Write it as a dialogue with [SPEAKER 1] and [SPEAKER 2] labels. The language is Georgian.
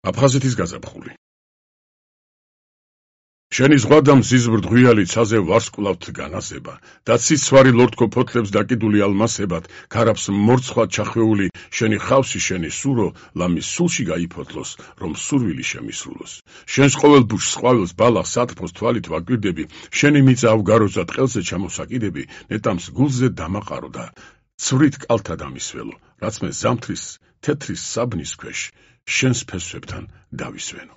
[SPEAKER 1] აფხაზეთის გაზაფხული. შენი ზღვა და მზის ბრდღვიალი ცაზე ვარსკვლავთ განასება და ციცვარი ლორდქო ფოთლებს დაკიდული ალმასებად ქარაფს მორცხვად ჩახვეული შენი ხავსი შენი სურო ლამის სულში გაიფოთლოს რომ სურვილი შემისრულოს შენს ყოველ ბუჩს ყვავილს ბალახს სათფოს თვალით ვაკვირდები შენი მიწა ავგაროზე ტყელზე ჩამოსაკიდები ნეტამს გულზე დამაყარო და ცვრით კალთა დამისველო რაც მე ზამთრის თეთრის საბნის ქვეშ შენს ფესვებთან დავისვენო